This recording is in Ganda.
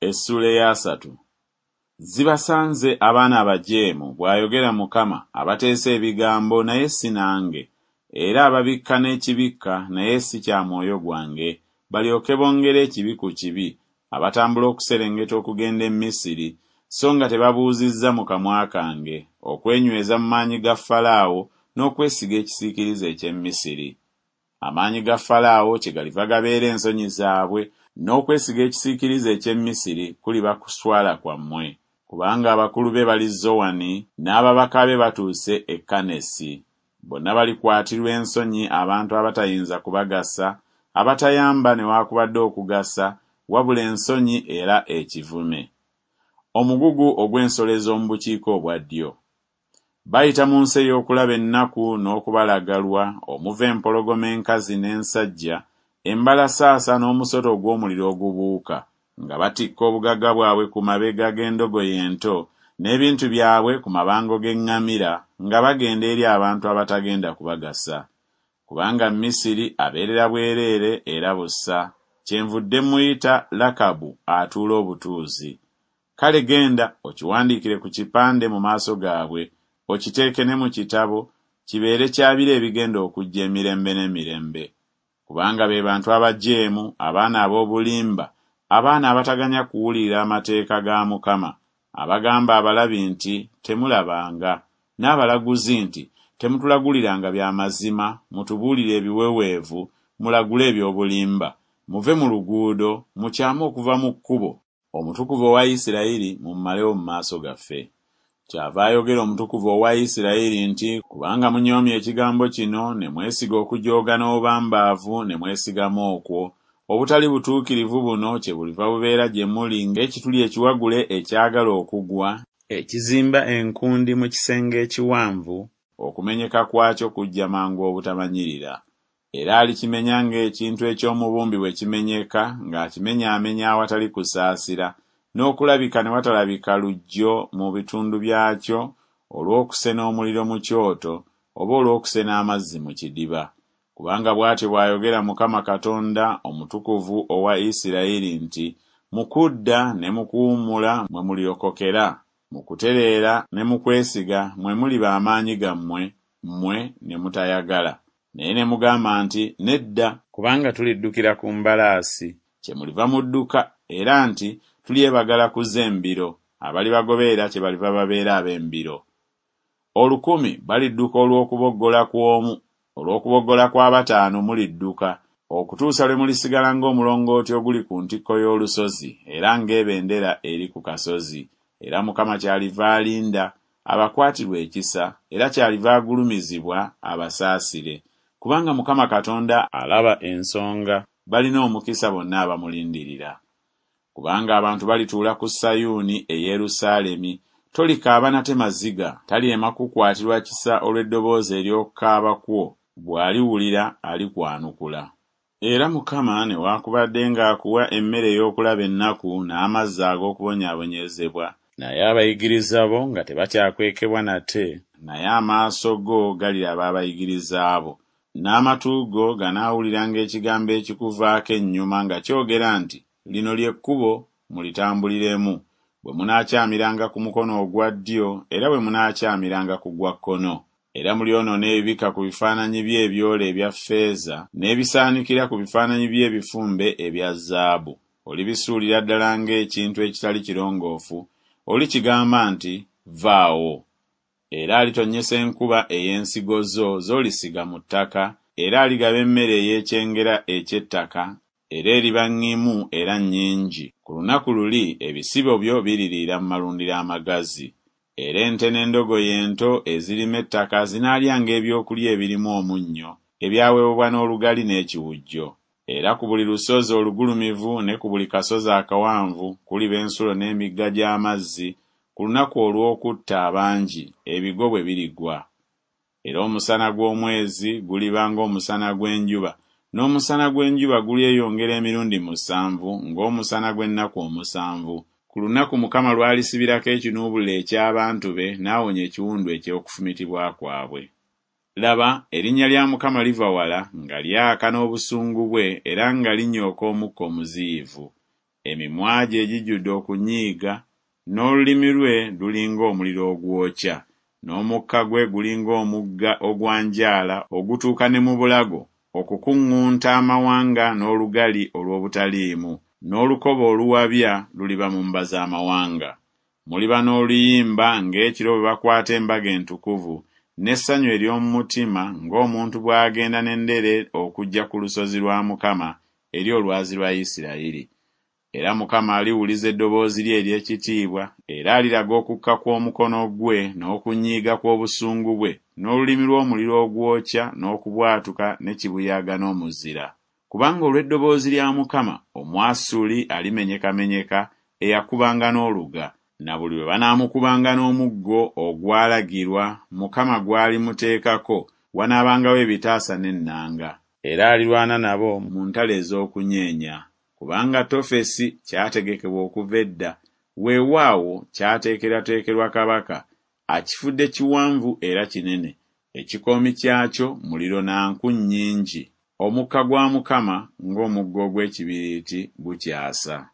Essuula ey'asatu. Zibasanze abaana abajeemu, bw'ayogera Mukama, abateesa ebigambo, naye si nange, era ababikka n'ekibikka, naye si kya mwoyo gwange, balyoke bongere ekibi ku kibi, abatambula okuserengeta okugenda e Misiri, so nga tebabuuzizza mu kamwa kange, okwenyweza mu maanyi ga Falaawo, n'okwesiga ekisiikirize eky'e Misiri. Amaanyi ga Falaawo kyegaliva gabeera ensonyi zaabwe, n'okwesiga ekisiikirize eky'e Misiri kuliba kuswala kwammwe. Kubanga abakulu be bali Zowani, n'ababaka be batuuse e Kanesi. Bonna balikwatirwa ensonyi abantu abatayinza kubagasa, abatayamba newakubadde okugasa, wabula ensonyi era ekivume. Omugugu ogw'ensolo ez'omu bukiika obwa ddyo. Bayita mu nsi ey'okulaba ennaku n'okubalagalwa, omuva empologoma enkazi n'ensajja, embalasaasa n'omusota ogw'omuliro ogubuuka, nga batikka obugagga bwabwe ku mabega g'endogoyi ento, n'ebintu byabwe ku mabango g'eŋŋamira, nga bagenda eri abantu abatagenda kubagasa. Kubanga Misiri abeerera bwereere era busa, kyenvudde mmuyita Lakabu atuula obutuuzi. Kale genda okiwandiikire ku kipande mu maaso gaabwe, okiteeke ne mu kitabo, kibeere kya biro ebigenda okujja emirembe n'emirembe. Kubanga be bantu abajeemu, abaana ab'obulimba, abaana abataganya kuwulira amateeka ga Mukama, abagamba abalabi nti, Temulabanga, n'abalaguzi nti, Temutulaguliranga bya mazima, mutubuulire ebiweweevu, mulagule eby'obulimba. Muve mu luguudo, mukyame okuva mu kkubo, Omutukuvu owa Isirayiri mumumalewo mu maaso gaffe. Kyava ayogera Omutukuvu owa Isirayiri nti, Kubanga munyoomye ekigambo kino, ne mwesiga okujooga n'obubambaavu, ne mwesigama okwo, obutali butuukirivu buno kyebuliva bubeera gye muli ng'ekituli ekiwagule ekyagala okugwa, ekizimba enkundi mu kisenge ekiwanvu, okumenyeka kwakyo kujja mangu obutamanyirira. Era alikimenya ng'ekintu eky'omubumbi bwe kimenyeka, ng'akimenyaamenya awatali kusaasira, n'okulabika ne watalabika luggyo mu bitundu byakyo olw'okusena omuliro mu kyoto, oba olw'okusena amazzi mu kidiba. Kubanga bw'atyo bw'ayogera Mukama Katonda, Omutukuvu owa Isirayiri nti, Mu kudda ne mu kuwummula mwe mulirokokera, mu kutereera ne mu kwesiga mwe muliba amaanyi gammwe, mmwe ne mutayagala. Naye ne mugamba nti, Nedda! Kubanga tuliddukira ku mbalaasi. Kyemuliva mudduka, era nti, Tulyebagala ku z'embiro, abalibagoberera kyebaliva babeera ab'embiro. Olukumi balidduka olw'okuboggola kw'omu, olw'okuboggola kw'abataano mulidduka, okutuusa lwe mulisigala ng'omulongooti oguli ku ntikko y'olusozi, era ng'ebendera eri ku kasozi. Era Mukama kyaliva alinda, abakwatirwe ekisa, era kyaliva agulumizibwa, abasaasire. Kubanga Mukama Katonda alaba ensonga, balina omukisa bonna abamulindirira. Kubanga abantu balituula ku Sayuuni, e Yerusaalemi, tolikaaba nate maziga, talyema kukukwatirwa kisa olw'eddoboozi ery'okukaaba kwo, bw'aliwulira alikwanukula. Era Mukama newakubadde ng'akuwa emmere ey'okulaba ennaku n'amazzi ag'okubonyaabonyezebwa, Naye abayigiriza bo nga tebakyakwekebwa nate, naye amaaso go galiraba abayigiriza bo, n'amatu go ganaawuliranga ekigambo ekikuvaako ennyuma nga kyogera nti Lino lye kkubo, mulitambuliremu, bwe munaakyamiranga ku mukono ogwa ddyo era bwe munaakyamiranga ku gwa kkono. Era mulyonoona ebibikka ku bifaananyi bye ebyole ebya ffeeza, n'ebisaanikira ku bifaananyi bye ebifumbe ebya zaabu, olibisuulira ddala ng'ekintu ekitali kirongoofu, olikigamba nti Vaawo. Era alitonnyesa enkuba ey'ensigo zo z'olisiga mu ttaka, era aligaba emmere ey'ekyengera eky'ettaka, era eriba ŋŋimu era nnyingi, ku lunaku luli ebisibo byo biririira mu malundiro amagazi. Era ente n'endogoyi ento ezirima ettaka zinaalyanga ebyokulya ebirimu omunnyo, ebyaweweebwa n'olugali n'ekiwujjo. Era ku buli lusozi olugulumivu ne ku buli kasozi akawanvu kuliba ensulo n'emigga gy'amazzi ku lunaku olw'okutta abangi, ebigo bwe birigwa. Era omusana gw'omwezi guliba ng'omusana gw'enjuba, n'omusana gw'enjuba gulyeyongera emirundi musanvu ng'omusana gw'ennaku omusanvu, ku lunaku Mukama lw'alisibirako ekinuubuliro eky'abantu be n'awonya ekiwundu eky'okufumitibwa kwabwe. Laba, erinnya lya Mukama liva wala, nga lyaka n'obusungu bwe, era nga linyooka omukka omuziyivu. Emimwa gye gijjudde okunyiiga, n'olulimi lwe luli ng'omuliro ogwokya, n'omukka gwe guli ng'omugga ogwanjaala ogutuuka ne mu bulago, okukuŋŋunta amawanga n'olugali olw'obutaliimu, n'olukoba oluwabya luliba mu mba z'amawanga. Muliba n'oluyimba ng'ekiro bwe bakwata embaga entukuvu, n'essanyu ery'omu mutima ng'omuntu bw'agenda n'endere okujja ku lusozi lwa Mukama, eri olwazi lwa Isirayiri. Era Mukama aliwuliza eddoboozi lye ery'ekitiibwa, era aliraga okukka kw'omukono gwe n'okunyiiga kw'obusungu bwe, n'olulimi lw'omuliro ogwokya n'okubwatuka ne kibuyaga n'omuzira. Kubanga olw'eddoboozi lya Mukama Omwasuli alimenyekamenyeka, eyakubanga n'oluga. Na buli lwe banaamukubanga n'omuggo ogwalagirwa Mukama gw'alimuteekako, wanaabangawo ebitaasa n'ennanga. Era alirwana nabo mu ntalo ez'okunyeenya. Kubanga Tofesi kyategekebwa okuva edda, weewaawo, kyateekerwateekerwa kabaka, akifudde kiwanvu era kinene, ekikoomi kyakyo muliro na nku nnyingi, omukka gwa Mukama ng'omugga ogw'ekibiriiti gukyasa.